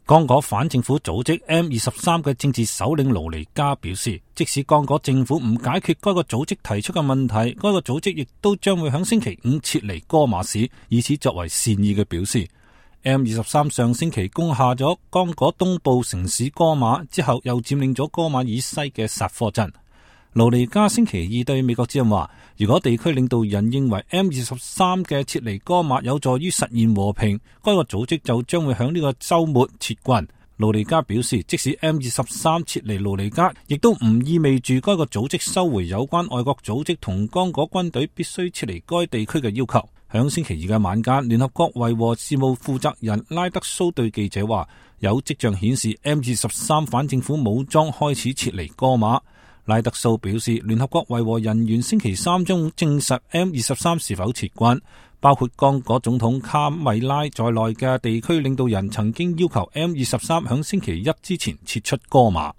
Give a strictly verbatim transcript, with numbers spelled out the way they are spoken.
剛果反政府組織 M 二十三嘅政治首領盧尼加表示，即使剛果政府唔解決該個組織提出嘅問題，該個組織亦都將會喺星期五撤離戈馬市，以此作為善意嘅表示。M 二十三上星期攻下咗剛果東部城市戈馬之後，又佔領咗戈馬以西嘅薩科鎮。盧尼加星期二對美國之音話，如果地區領導人認為 M 二十三嘅撤離戈馬有助於實現和平，該個組織就將會響呢個周末撤軍。盧尼加表示，即使 M 二十三撤離盧尼加，亦都唔意味住該個組織收回有關外國組織同剛果軍隊必須撤離該地區嘅要求。響星期二嘅晚間，聯合國維和事務負責人拉德蘇對記者話，有跡象顯示 M 二十三反政府武裝開始撤離戈馬。拉德蘇表示，聯合國維和人員星期三將證實 M 二十三是否撤軍，包括剛果總統卡米拉在內嘅地區領導人曾經要求 M 二十三響星期一之前撤出戈馬。